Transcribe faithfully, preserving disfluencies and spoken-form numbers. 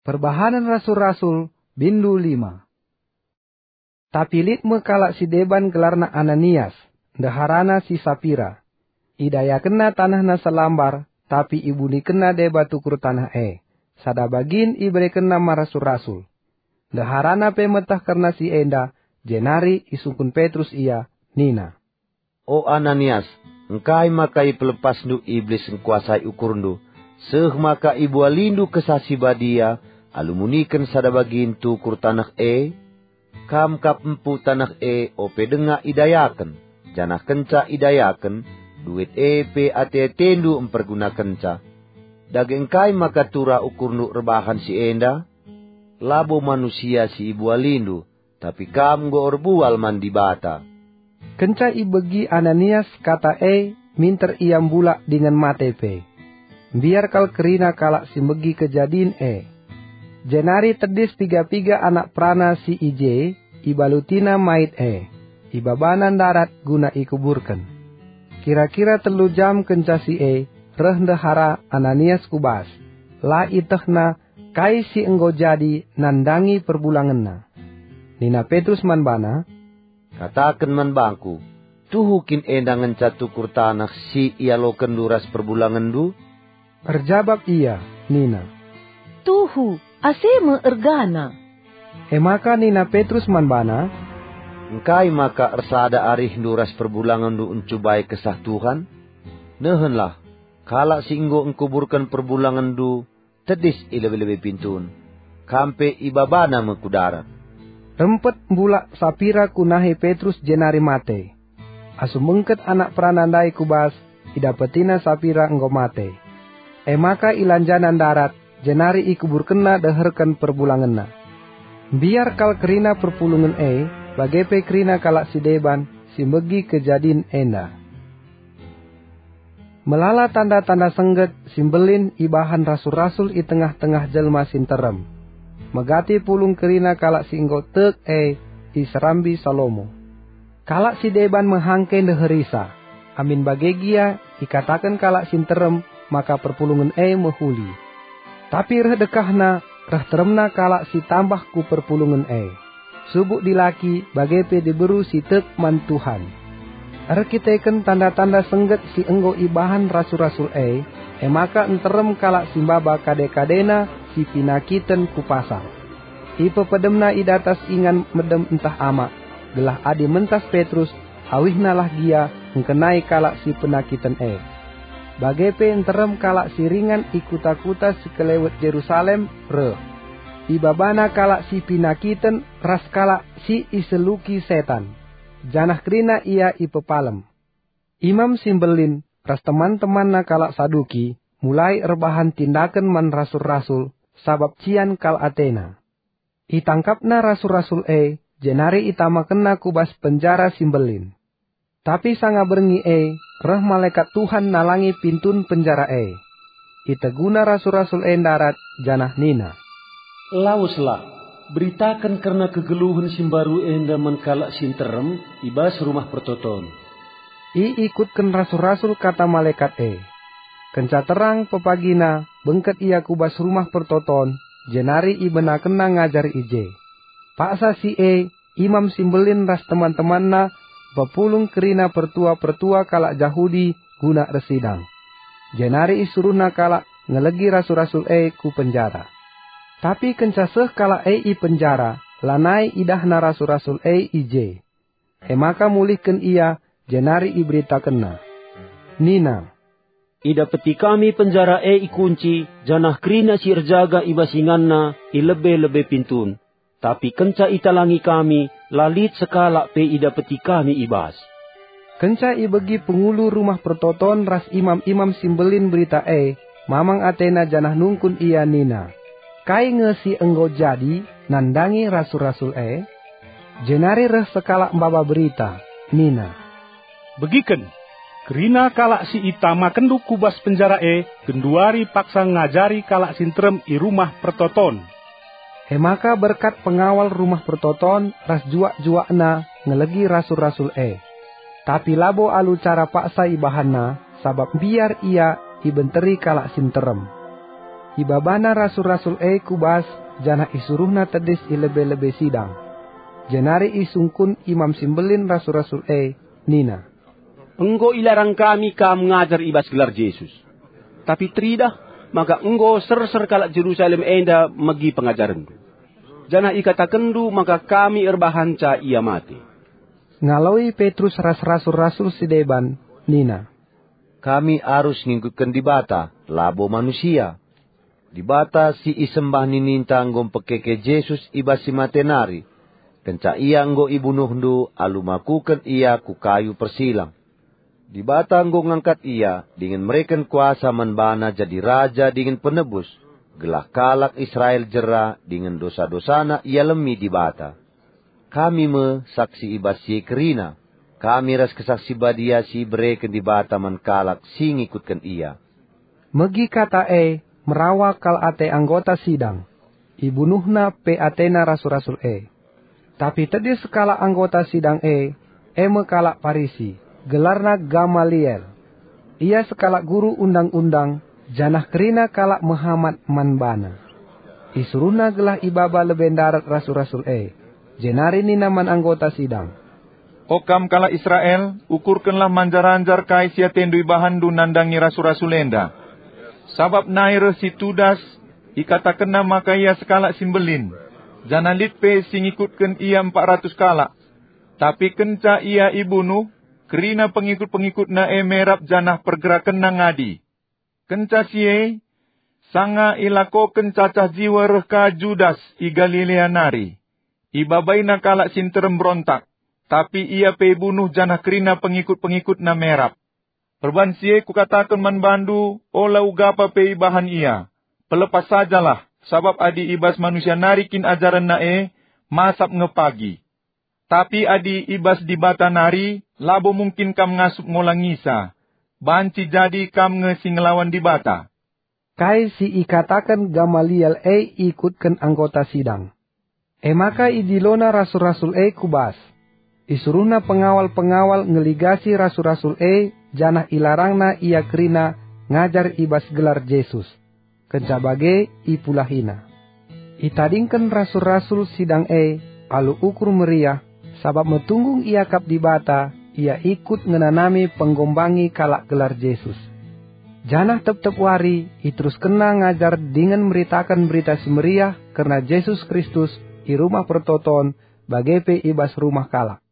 Perbahanen Rasul-Rasul, bindu lima. Tapi lit me kalak si deban gelarna Ananias, ndeharana si Sapira. Idayakenna tanehna selambar, tapi ibunikenna deba tukur taneh e. Sada bagin iberekenna man rasul-rasul. Ndeharana pe meteh kerna si enda, jenari isungkun Petrus ia, nina, "O Ananias, engkai maka ipelepasndu Iblis ngkuasai ukurndu, seh maka ibualindu Kesah Si Badia alu muniken sada bagin tukur taneh e? Kam kap empu taneh e ope denga idayaken, janah kenca idayaken, duit e pe ate-atendu mpergunakenca. Dage engkai maka turah ukurndu erbahan si enda? Labo manusia si ibualindu, tapi kam enggo erbual man Dibata." Kenca ibegi Ananias kata e, minter ia mbulak dingen mate pe. Mbiar kal kerina kalak si megi kejadin e. Jenari tedis piga-piga anak perana si i je, ibalutina mait e, ibabana ndarat guna ikuburken. Kira-kira telu jam kenca si e, reh ndehara Ananias ku bas. La ietehna kai si enggo jadi nandangi perbulangenna. Nina Petrus man bana, "Kataken man bangku, tuhu kin enda ngenca tukur taneh si ialokenndu ras perbulangenndu?" Erjabap ia nina, "Tuhu, ase me ergana." E maka nina Petrus man bana, "Engkai maka ersada arihndu ras perbulangenndu ncubai Kesah Tuhan? Nehenlah, kalak si enggo engkuburken perbulangenndu tedis i lebe-lebe pintun. Kam pe ibabana me ku darat." Rempet mbulak Sapira ku nahe Petrus jenari mate. Asum bengket anak perana ndai ku bas, idapetina Sapira enggo mate. E maka ilanjana ndarat, jenari ikuburkenna deherken perbulangenna. Mbiar kal kerina perpulungen e, bage pe kerina kalak si deban si megi kejadin enda. Melala tanda-tanda sengget si mbelin ibahan rasul-rasul i tengah-tengah jelma si nterem. Megati pulung kerina kalak si enggo tek e iserambi Salomo. Kalak si deban mehangke ndeherisa. Amin bage gia ikataken kalak si nterem maka perpulungen e mehuli. Tapi reh dekahna, reh teremna kalak si tambah ku perpulungen e. Subuk dilaki bage pe diberu si tek man Tuhan. Erkiteken tanda-tanda sengget si enggo ibahan rasul-rasul e, e maka nterem kalak si maba kade-kadena si pinakiten ku pasar. Ipepedemna i datas ingan medem ntah amak, gelah adi mentas Petrus, awihnalah gia ngkenai kalak si penakiten e. Bage pe nterem kalak si ringan i kuta-kuta si kelewet Jerusalem reh. Ibabana kalak si pinakiten ras kalak si iseluki setan, janah kerina ia ipepalem. Imam si mbelin ras teman-temanna kalak Saduki mulai erbahan tindaken man rasul-rasul, sabap cian kal atena. Itangkapna rasul-rasul e, jenari itamakenna ku bas penjara si mbelin. Tapi sanga berngi e, reh malekat Tuhan nalangi pintun penjara e. Iteguna rasul-rasul e ndarat, janah nina, "Laweslah, beritaken kerna kegeluhen si mbaru enda man kalak si nterem i bas Rumah Pertoton." Iikutken rasul-rasul kata malekat e. Kenca terang pepagina, bengket ia ku bas Rumah Pertoton, jenari ibenakenna ngajar i je. Paksa si e, Imam si Mbelin ras teman-temanna pepulung kerina pertua-pertua kalak Jahudi guna ersidang. Jenari isuruhna kalak ngelegi rasul-rasul e ku penjara. Tapi kenca seh kalak e i penjara, lanai idahna rasul-rasul e i je. E maka mulihken ia, jenari iberitakenna. Nina, "Idapeti kami penjara e ikunci, janah kerina si erjaga i bas inganna i lebe-lebe pintun. Tapi kenca italangi kami, la lit sekalak pe idapeti kami i bas." Kenca ibegi pengulu Rumah Pertoton ras imam-imam si mbelin berita e, mamang atena janah nungkun ia nina, "Kai nge si enggo jadi nandangi rasul-rasul e?" Jenari reh sekalak maba berita, nina, "Begiken, kerina kalak si itamakenndu ku bas penjara e genduari paksa ngajari kalak si nterem i Rumah Pertoton." E maka berkat pengawal Rumah Pertoton ras juak-juakna ngelegi rasul-rasul e. Tapi labo alu cara paksa ibahanna, sabap mbiar ia ibenteri kalak si nterem. Ibabana rasul-rasul e ku bas janah isuruhna tedis i lebe-lebe sidang. Jenari isungkun Imam si Mbelin rasul-rasul e, nina, "Enggo ilarang kami kam ngajar i bas gelar Jesus. Tapi teridah maka enggo serser kalak Jerusalem enda megi pengajarenndu. Janah ikatakenndu maka kami erbahanca ia mate." Ngaloi Petrus ras rasul-rasul si deban, nina, "Kami arus ngikutken Dibata, labo manusia. Dibata si isembah nininta enggo mpekeke Jesus i bas si mate nari, kenca ia enggo ibunuhndu alu makuken ia ku kayu persilang. Dibata enggo ngangkat ia dingen mereken kuasa man bana jadi raja dingen penebus, gelah kalak Israel jera dingen dosa-dosana ialemi Dibata. Kami me saksi i bas si e kerina, kami ras Kesah Si Badia si ibereken Dibata man kalak si ngikutken ia." Megi kata e merawa kal ate anggota sidang. Ibunuhna pe atena rasul-rasul e. Tapi tedis sekalak anggota sidang e, e me kalak Parisi, gelarna Gamaliel. Ia sekalak guru undang-undang, janah kerina kalak mehamat man bana. Isuruhna gelah ibaba lebe ndarat rasul-rasul e, jenari nina man anggota sidang, "O kam kalak Israel, ukurkenlah manjar-anjar kai si atendu ibahanndu nandangi rasul-rasul enda. Sabap nai reh si Tudas, ikatakenna maka ia sekalak si mbelin, janah lit pe si ngikutken ia empat ratus kalak. Tapi kenca ia ibunuh, kerina pengikut-pengikutna e merap janah pergerakenna ngadi. Kenca si e, sanga ilakoken cacah jiwa reh ka Judas i Galilea nari. Ibabaina kalak si nterem berontak, tapi ia pe ibunuh janah kerina pengikut-pengikutna merap. Perban si e kukataken man bandu, ola ugapa pe ibahan ia. Pelepas sajalah, sabap adi i bas manusia nari kin ajarenna e, masap nge pagi. Tapi adi i bas Dibata nari, labo mungkin kam ngasup ngolangisa. Banci jadi kam nge si ngelawan Dibata." Kai si ikataken Gamaliel e ikutken anggota sidang. E maka idilona rasul-rasul e ku bas. Isuruhna pengawal-pengawal ngeligasi rasul-rasul e janah ilarangna ia kerina ngajar i bas gelar Jesus. Kenca bage ipulahina. Itadingken rasul-rasul sidang e alu ukur meriah, sabap metunggung iakap Dibata, ia ikut ngenanami penggombangi kalak gelar Jesus. Janah tep-tep wari iteruskenna ngajar dingen meritaken Berita Si Meriah kerna Jesus Kristus i rumah pertoton, bage pe i bas rumah kalak.